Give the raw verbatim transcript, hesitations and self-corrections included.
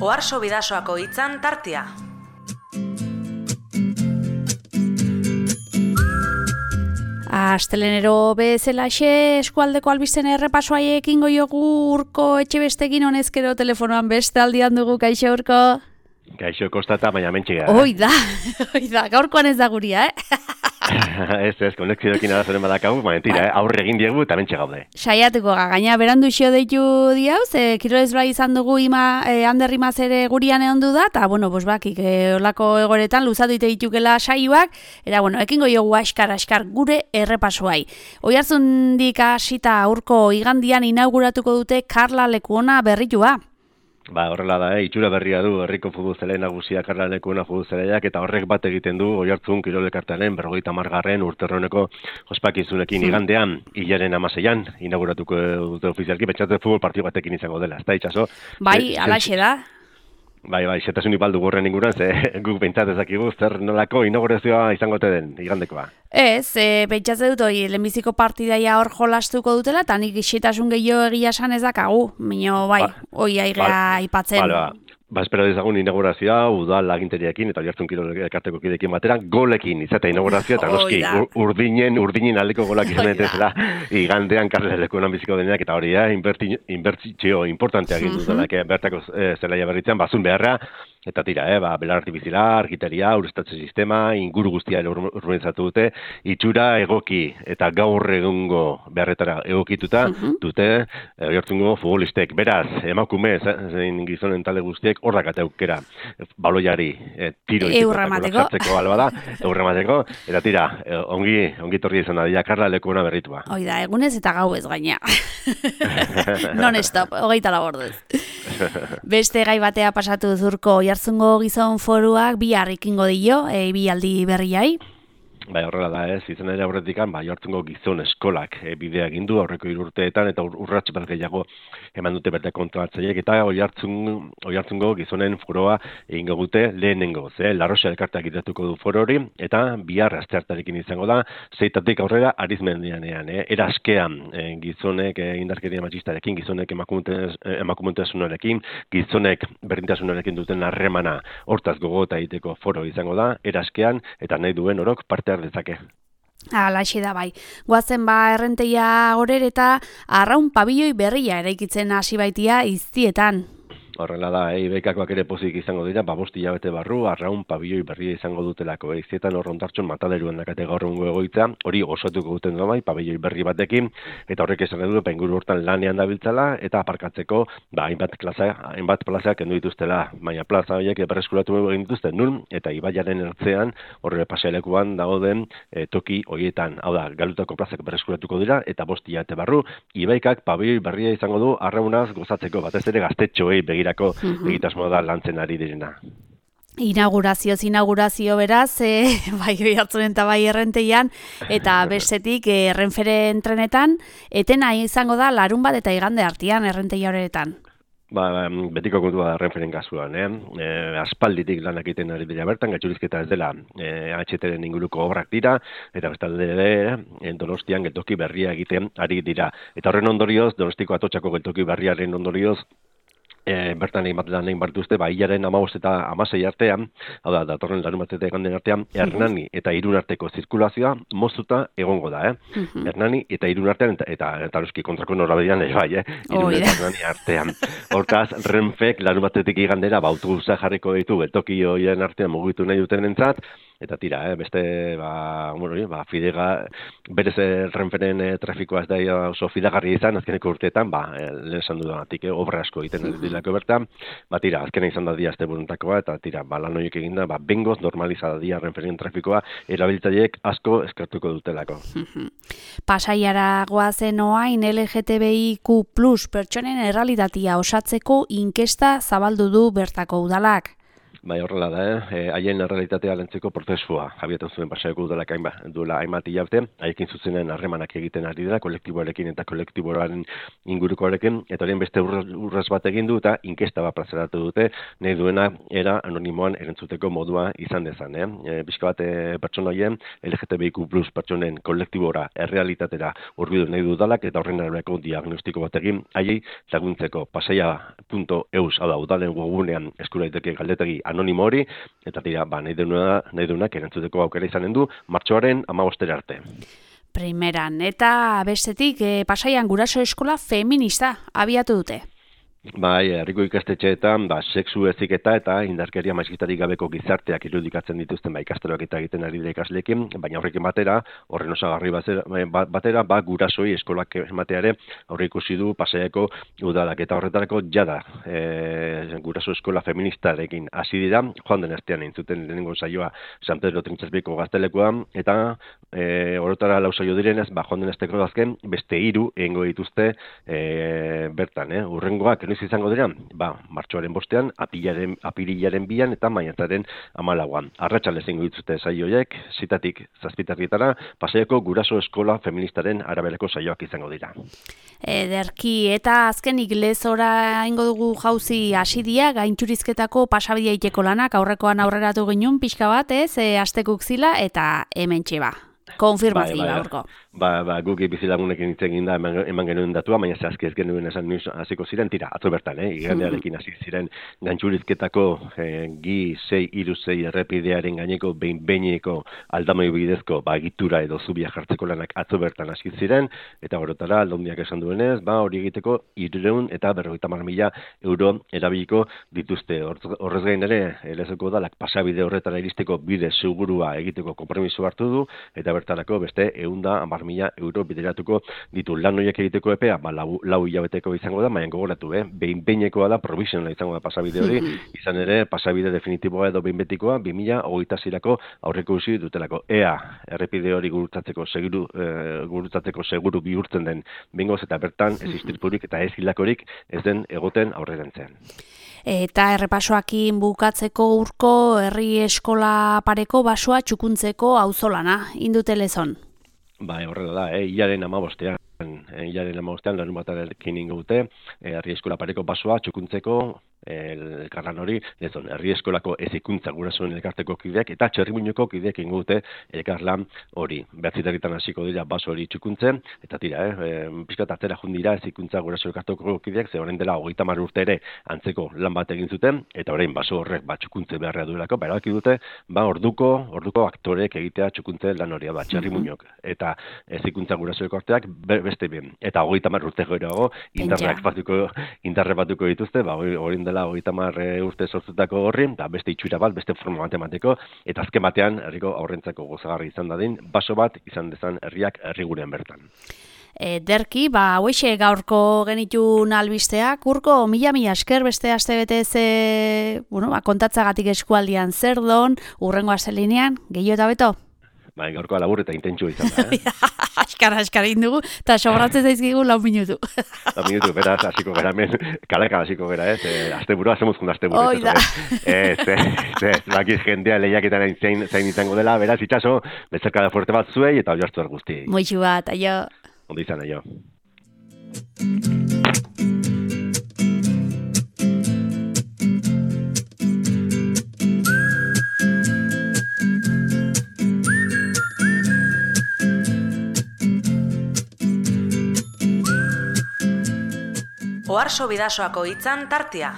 Oarso Bidasoako hitzan tartea. Astelenero bezalaxe eskualdeko albisten errepasoa ekingo jogu Urko Etxebestekin honezkero telefonoan beste aldian dugu. Kaixo Urko? Kaixo kostata, baina mentxe gara. Hoi da, hoi da, gaurkoan ez da guria, eh? ez, ez, konexioekin arazoren badakagu, baina tira, eh? Aurre egin diegu eta mentxe gaude. Saiatuko ga, gaina berandu xio deitu diau, ze kirolez bai izan dugu ima, eh, Ander Imaz ere gurian egon du da, eta, bueno, bos bakik, eh, olako egoretan luzatu ite ditukela saioak, eta, bueno, ekingo jogu askar, askar gure errepasoai. Oihartzundik hasita Urko igandian inauguratuko dute Karla Lekuona berritua. Ba, horrela da, eh? Itxura berria du herriko futbol zelai nagusia Karla Lekuona futbol zelaiak, eta horrek bat egiten du Oihartzun kirolelkartearen berrogeita hamargarren urterroneko ospakizunekin igandean, hilaren hamaseian inauguratuko dute ofizialki, pentsatu futbol partido batekin izango dela, ez da itxaso? Bai, alaxe da. Bai, bai, xetasunik baldu gorren inguruan, ze guk pentsat ezakigu zer nolako inaugurazioa izango te den igandekoa. Ez, e, pentsatze dut, oi, lehenbiziko partidaia hor jolastuko dutela, eta nik xetasun gehiago egia esan ez dakagu, minio, bai, ba, oi aigea aipatzen. Ba, ba. Ba, espero dezagun inaugurazioa, udal aginteriakin eta Oihartzun kirolelkarteko kidekin batera, golekin izatea inaugurazioa, eta noski urdinen, urdinen aldeko golak izan dezela, igandean Karla Lekuonan biziko deneak, eta hori da, inbertzio importantea egin dutela, bertako zelaia berritzen, bazun beharra, eta tira, eh, ba, belar artifizila, argiteria, ureztatze sistema, inguru guztia urbanizatu dute, itxura egoki eta gaur egungo beharretara egokituta dute Oihartzungo futbolistek. Beraz, emakume, zein gizonen talde guztiek, horrak eta aukera baloiari e, tiro eurramateko, albada, eurramateko, eta tira, e, ongi, ongi torri izan da, Karla Lekuona berritua. Hoi da, egunez eta gau ez gaina. Non-stop, hogeita labordez. Beste gai batea pasatu Urko, Oihartzungo gizon foruak bihar ekingo dio, e, bi aldi berriai. Bai, horrela da, ez, izan ere aurretikan, ba, Oihartzungo gizon eskolak e, bidea egin du aurreko hiru urteetan, eta ur, urrats bat gehiago eman dute berte kontratzaileek, eta Oihartzun, Oihartzungo gizonen foroa egingo dute lehenengo, ze, Larroxa elkarteak idatuko du foro hori, eta bihar asteartarekin izango da, zeitatik aurrera arizmendianean, eh? Eraskean e, gizonek e, indarkeria matxistarekin, gizonek emakumentasunarekin, gizonek berdintasunarekin duten harremana hortaz gogota egiteko foro izango da, eraskean, eta nahi duen orok parte dezake. Alaxe da bai. Goazen ba errenteia gorer eta arraun pabilioi berria eraikitzen hasi baitia iztietan. Horrela da, e, ibekakoak ere pozik izango dira, ba bost hilabete barru, arraun pabilioi berria izango dutelako. E, iztietan horrontartxon mataderuan dakate gaur egungo egoitza, hori osatuko duten da bai, pabilioi berri batekin, eta horrek esan edu, penguru hortan lanean dabiltzala, eta aparkatzeko, ba, hainbat plaza, hainbat plaza kendu dituztela, baina plaza horiek berreskuratu egin dituzten nun, eta ibaiaren ertzean, horre pasealekuan dagoen e, toki horietan, hau da, galutako plazak berreskuratuko dira, eta bost hilabete barru, ibaikak pabilioi berria izango du, arraunaz gozatzeko, batez ere gaztetxoei begira egitasmoa da lantzen ari direna. Inaugurazioz inaugurazio beraz, e, bai Oihartzunen eta bai errenteian, eta bestetik e, Renferen trenetan, etena izango da larun bat eta igande artean errenteia horretan. Ba, betiko kontua da Renferen kasuan, eh? E, aspalditik lanak egiten ari dira bertan, gaitxurizketa ez dela e, H T-ren inguruko obrak dira, eta bestalde ere, e, Donostian geltoki berria egiten ari dira. Eta horren ondorioz, Donostiko Atotxako geltoki berriaren ondorioz, E, bertan egin bat lan egin bartuzte, ba, hilaren amabost eta amasei artean, hau da, datorren larun bat eta eganden artean, Hernani eta Irun arteko zirkulazioa moztuta egongo da, eh? Hernani eta Irun artean, eta, eta, eta noski kontrako norabidean ere bai, eh? Irun eta Hernani artean. Hortaz, Renfek larun batetik igandera, ba, autobusa jarriko ditu, geltoki horien artean mugitu nahi duten entzat, eta tira, eh, beste, ba, bueno, ba, fidega, berez Renferen eh, trafikoa ez da oso fidagarri izan, azkeneko urteetan, ba, eh, lehen esan dudatik, eh, obra asko egiten ez dilako bertan, ba, tira, azkena izan da dia azte buruntakoa, eta tira, ba, lan horiek eginda, ba, bengoz normalizada dia Renferen trafikoa, erabiltzaileek asko eskartuko dutelako. Pasaiara goazen oain L G T B I Q plus pertsonen errealitatea osatzeko inkesta zabaldu du bertako udalak. Bai, horrela da, eh? haien errealitatea lantzeko prozesua abiatu zuen Pasaiako udalak duela hainbat hilabete, haiekin zuzenen harremanak egiten ari dira, kolektiboarekin eta kolektiboaren ingurukoarekin, eta horien beste urraz bat egin du eta inkesta bat plazaratu dute, nahi duena era anonimoan erantzuteko modua izan dezan. Eh? E, Bizka bat e, pertsona horien L G T B I Q plus pertsonen kolektibora, errealitatera urbidu nahi du udalak, eta horren arabeko diagnostiko bat egin, haiei laguntzeko pasaia puntu eus, hau da, udalen webgunean eskura daiteke galdetegi anonimo hori, eta tira, ba, nahi duena, nahi duenak erantzuteko aukera izanen du, martxoaren hamabostera arte. Primeran, eta bestetik, e, Pasaian guraso eskola feminista abiatu dute. Bai, herriko ikastetxeetan, ba, sexu heziketa eta indarkeria maiskitarik gabeko gizarteak irudikatzen dituzten ba, ikastaroak eta egiten ari dira ikasleekin, baina horrekin batera, horren osagarri batera, ba, gurasoi eskolak emateare aurre ikusi du Pasaiako udalak eta horretarako jada e, guraso eskola feministarekin hasi dira, joan den astean entzuten lehenengo saioa San Pedro Trintxasbiko gaztelekoan, eta e, horretara lau saio direnez, ba, joan den asteko azken beste hiru egingo dituzte e, bertan, eh? Urrengoak noiz izango dira? Ba, martxoaren bostean, apilaren, apirilaren bian eta maiatzaren hamalauan. Arratsalez egingo dituzte saioiek, zitatik zazpitarrietara, Pasaiako guraso eskola feministaren araberako saioak izango dira. Ederki, eta azkenik lezora ingo dugu jauzi hasidia, gaintxurizketako pasabidea iteko lanak aurrekoan aurreratu ginen pixka bat, ez, e, astekuk zila, eta hemen txeba. Konfirmazioa bai, bai, aurko. Ba, ba, guki bizilagunekin hitz egin da eman, eman genuen datua, baina zehazki ez genuen esan nuiz hasiko ziren, tira, atzo bertan, eh? Igandearekin hasi ziren gantxurizketako eh, gi sei hiru sei errepidearen gaineko behin-behineko aldamoi bidezko ba, egitura edo zubia jartzeko lanak atzo bertan hasi ziren, eta horretara aldundiak esan duenez, ba, hori egiteko hirurehun eta berrogeita hamar mila euro erabiliko dituzte. Horrez gain ere, lezoko dalak pasabide horretara iristeko bide segurua egiteko konpromiso hartu du, eta bertarako beste ehun eta hamar mila euro bideratuko ditu. Lan horiek egiteko epea, ba, lau, lau hilabeteko izango da, baina gogoratu, eh? behin behinekoa da, provisionala izango da pasabide hori, izan ere, pasabide definitiboa edo behin betikoa, bi mila hogeita seirako aurreko usi dutelako. Ea, errepide hori gurutzatzeko seguru, eh, gurutzatzeko seguru bihurtzen den bengoz, eta bertan ez istripurik eta ez hilakorik ez den egoten aurrerantzean. Eta errepasoakin bukatzeko urko herri eskola pareko basoa txukuntzeko auzolana indute lezon. Ba, horrela da, eh? Ilaren amabostean, eh? Ilaren amabostean, larun batarekin ingo dute, eh, herri eskola pareko basoa txukuntzeko elkarlan hori, lezon, herri eskolako ezikuntza gurasoen elkarteko kideak eta Txerrimuñoko kideak ingo dute elkarlan hori. Behatziterritan hasiko dira baso hori txukuntzen, eta tira, eh, pixkat atzera jundira ezikuntza guraso elkarteko kideak, ze horren dela hogeita hamar urte ere antzeko lan bat egin zuten, eta orain baso horrek bat txukuntze beharra duelako, ba, erabaki dute, ba, orduko, orduko aktorek egitea txukuntze lan hori, ba, Txerrimuñok, eta ezikuntza guraso elkarteak beste bien, eta hogeita hamar urte goerago, indarrak batuko, indarre batuko dituzte, ba, orain dela hogeita hamar urte sortzutako horri, da beste itxura bat, beste forma matematiko, eta azken batean herriko aurrentzako gozagarri izan dadin, baso bat izan dezan herriak herrigurean bertan. Ederki, ba, hoxe gaurko genitun albisteak, urko mila-mila esker beste aste betez e, bueno, ba, kontatzagatik eskualdian zer don, urrengo astelehenean, gehiago eta beto? Bai, gaurkoa labur eta intentsua izan da, eh? Askara, askara indugu, eta sobratzen zaizkigu lau minutu. Lau minutu, beraz, hasiko gara hemen, kalaka hasiko gara, ez? Eh, azte burua, zemuzkun azte burua. Hoi da. Ez, ez, ez, bakiz jendea lehiaketan zain, zain izango dela, beraz, itxaso, bezarkada fuerte bat zuei, eta hori hartu guzti. Moixu bat, aio. Ondo izan, aio. Oharso Bidasoako hitzan tartea.